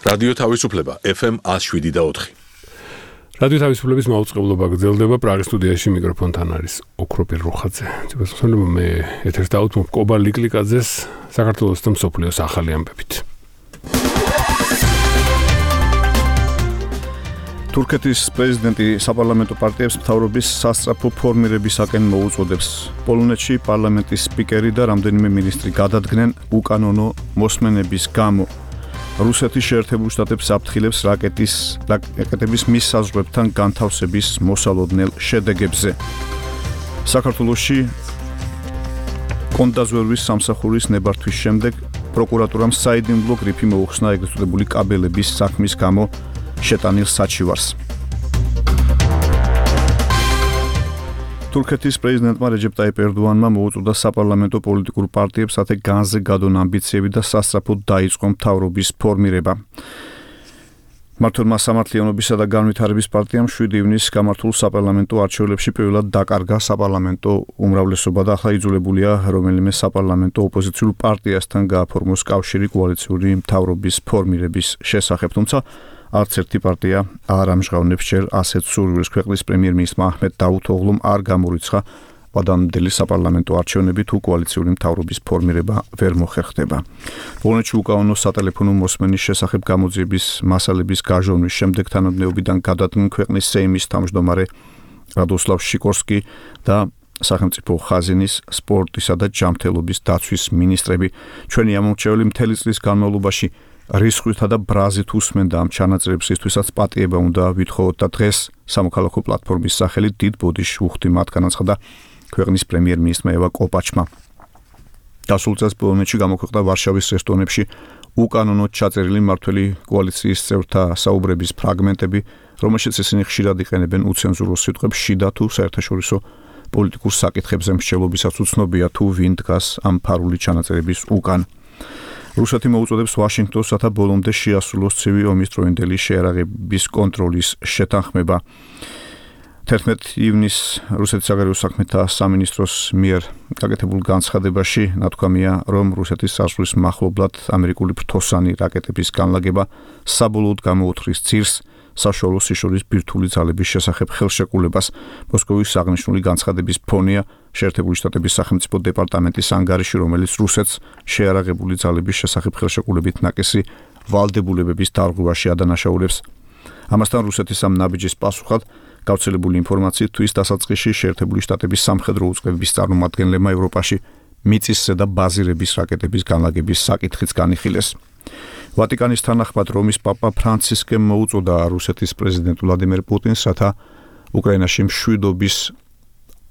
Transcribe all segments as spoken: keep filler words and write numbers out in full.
რადიო თავისუფლება ეფ ემ one oh seven და four. რადიო თავისუფლების მაუწყებლობა გრძელდება პრაღის სტუდიაში მიკროფონთან არის ოქროპირ რუხაძე. ძებასხმელო მე ეთერს დავუთმობ კობა ლიკლიკაძეს საქართველოს და მსოფლიოს ახალი ამბებით. თურქეთის პრეზიდენტი საპარლამენტო პარტიებს მთავრობის სასწრაფო ფორმირებისაკენ მოუწოდებს. პოლონეთში პარლამენტის სპიკერი და რამდენიმე მინისტრი გადადგნენ უკანონო მოსმენების გამო. რუსეთის შეერთებულ შტატებს აფრთხილებს რაკეტის რაკეტების მისაზღვრებთან განთავსების მოსალოდნელ შედეგებზე. საქართველოში კონდაზვერვის სამსახურის ნებართვის შემდეგ პროკურატურამ საიდუმლო გრიფი მოუხსნა ეგრეთ წოდებული კაბელების საქმის გამო შეტანილ საჩივარს. თურქეთის პრეზიდენტმა რეჯეპ ტაიპ ერდოანმა მოუწოდა საპარლამენტო პოლიტიკურ პარტიებს ათე განზე გადონ ამბიციები და სასწრაფოდ დაიწყო მთავრობის ფორმირება. მართლმა სამართლიანობისა და განვითარების პარტიამ შვიდი ივნისს გამართულ საპარლამენტო არჩევნებში პირველად დაკარგა საპარლამენტო უმრავლესობა და ახლა იძულებულია რომელიმე საპარლამენტო ოპოზიციურ პარტიასთან გააფორმოს კავშირი კოალიციური მთავრობის ფორმირების შესახებ, თუმცა არც ერთი პარტია არ ამჟღავნებს ჯერ ასეთ სურვილს. ქვეყნის პრემიერ-მინისტრმა აჰმედ დავუთოღლუმ არ გამორიცხა ვადამდელი საპარლამენტო არჩევნები თუ კოალიციური მთავრობის ფორმირება ვერ მოხერხდება. პოლონეთში უკანონო სატელეფონო მოსმენის შესახებ გამოძიების მასალების გაჟონვის შემდეგ თანამდებობიდან გადადგნენ ქვეყნის სეიმის თავმჯდომარე რადოსლავ შიკორსკი და სახელმწიფო ხაზინის სპორტისა და ჯანმრთელობის დაცვის მინისტრები. ჩვენი ამომრჩეველი მთელი წლის განმავლობაში რისხვითა და ბრაზით უსმენდა ამ ჩანაწერებს, ისთვისაც პატიება უნდა ვითხოვოთ და დღეს სამოქალაქო პლატფორმის სახელით დიდ ბოდიშს უხდი მათ, განაცხადა ქვეყნის პრემიერ-მინისტრმა ევა კოპაჩმა. დასულ წელს პოლონეთში გამოქვეყნდა ვარშავის რესტორნებში უკანონოდ ჩაწერილი მმართველი კოალიციის წევრთა საუბრების ფრაგმენტები, რომელშიც ისინი ხშირად იყენებენ უცენზურო სიტყვებს შიდა თუ საერთაშორისო პოლიტიკურ საკითხებზე მსჯელობისაც უცნობია თუ ვინ დგას ამ ფარული ჩანაწერების უკან. რუსეთი მოუწოდებს ვაშინგტონს, რათა ბოლომდე შეასრულოს ცივი ომის დროინდელი შეიარაღების კონტროლის შეთანხმება. თერთმეტ ივნისს რუსეთის საგარეო საქმეთა სამინისტროს მიერ გაკეთებულ განცხადებაში ნათქვამია, რომ რუსეთის საზღვრის მახლობლად ამერიკული ფრთოსანი რაკეტების განლაგება საბოლოოდ გამოუთხრის ძირს საშუალო სიშორის ბირთვული ძალების შესახებ ხელშეკრულებას. მოსკოვის აღნიშნული განცხადების ფონია შეერთებული შტატების სახელმწიფო დეპარტამენტის ანგარიში, რომელიც რუსეთს შეიარაღებული ძალების შესახებ ხელშეკრულებით ნაკისი ვალდებულებების დარღვევაში ადანაშაულებს. ამასთან რუსეთის ამ ნაბიჯის პასუხად გავრცელებული ინფორმაციით თვის დასაწყისში შეერთებული შტატების სამხედრო უწყებების წარმომადგენლებმა ევროპაში მიწისზე და ბაზირების რაკეტების განლაგების საკითხიც განიხილეს. ვატიკანის თანახმად რომის პაპა ფრანცისკემ მოუწოდა რუსეთის პრეზიდენტ ვლადიმერ პუტინს, რათა უკრაინაში მშვიდობის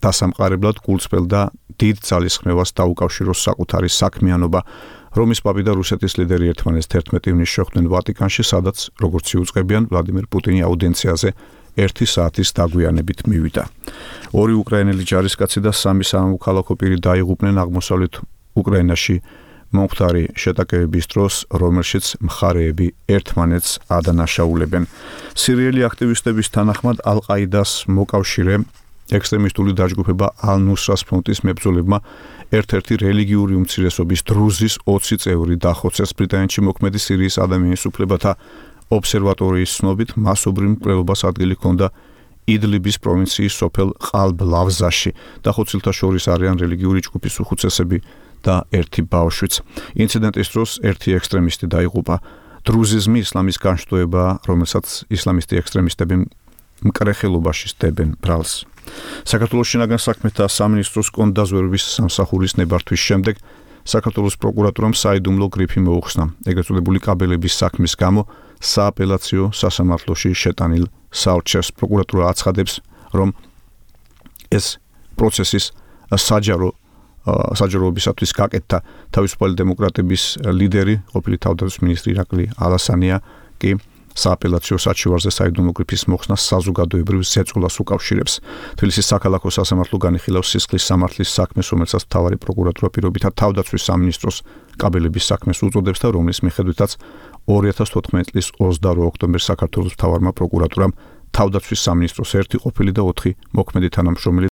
დასამყარებლად გულწრფელ და დიდ ძალისხმევას დაუკავშიროს საკუთარი საქმიანობა. რომის პაპი და რუსეთის ლიდერი ერთმანეთს თერთმეტ ივნისს შეხვდნენ ვატიკანში, სადაც როგორც იუწყებიან ვლადიმერ პუტინი აუდიენციაზე ერთი საათის დაგვიანებით მივიდა. ორი უკრაინელი ჯარისკაცი და სამი სამოქალაქო პირი დაიღუპნენ აღმოსავლეთ უკრაინაში მომხდარი შეტაკებების დროს, რომელშიც მხარეები ერთმანეთს ადანაშაულებენ. სირიელი აქტივისტების თანახმად ალ-ყაიდას მოკავშირე ექსტრემისტული დაჯგუფება ალ-ნუსრას ფრონტის მებრძოლებმა ერთ-ერთი რელიგიური უმცირესობის დრუზის ოცი წევრი დახოცეს. ბრიტანეთში მოქმედი სირიის ადამიანის უფლებათა ობსერვატორიის ცნობით მასობრივ მკვლელობას ადგილი ჰქონდა იდლიბის პროვინციის სოფელ ყალბ-ლავზაში. დახოცილთა შორის არიან რელიგიური ჯგუფის უხუცესები და ერთი ბავშვიც. ინციდენტის დროს ერთი ექსტრემისტი დაიღუპა. დრუზიზმი ისლამის განშტოებაა, რომელსაც ისლამისტი ექსტრემისტები მკრეხელობაში სდებენ ბრალს. საქართველოს შინაგან საქმეთა სამინისტროს კონდაზვერვის სამსახურის ნებართვის შემდეგ საქართველოს პროკურატურამ საიდუმლო გრიფი მოუხსნა ეგრეთ წოდებული კაბელების საქმის გამო სააპელაციო სასამართლოში შეტანილ საორჩევს. პროკურატურა აცხადებს, რომ ეს პროცესის საჯარო საჯაროებისათვის გაკეთდა თავისუფალი დემოკრატების ლიდერი, ყოფილი თავდაცვის მინისტრი ირაკლი ალასანია კი სააპელაციო საჩივარზე საიდუმლო გრიფის მოხსნას საზოგადოებრივ ზეწოლას უკავშირებს. თბილისის საქალაქო სასამართლო განიხილავს სისხლის სამართლის საქმეს, რომელსაც მთავარი პროკურატურა პირობითად თავდაცვის სამინისტროს კაბელების საქმეს უწოდებს და რომლის მიხედვითაც ორი ათას თოთხმეტი წლის ოცდაორი ოქტომბერს საქართველოს მთავარმა პროკურატურამ თავდაცვის სამინისტროს ერთი ყოფილი და ოთხი მოქმედი თანამშრომელი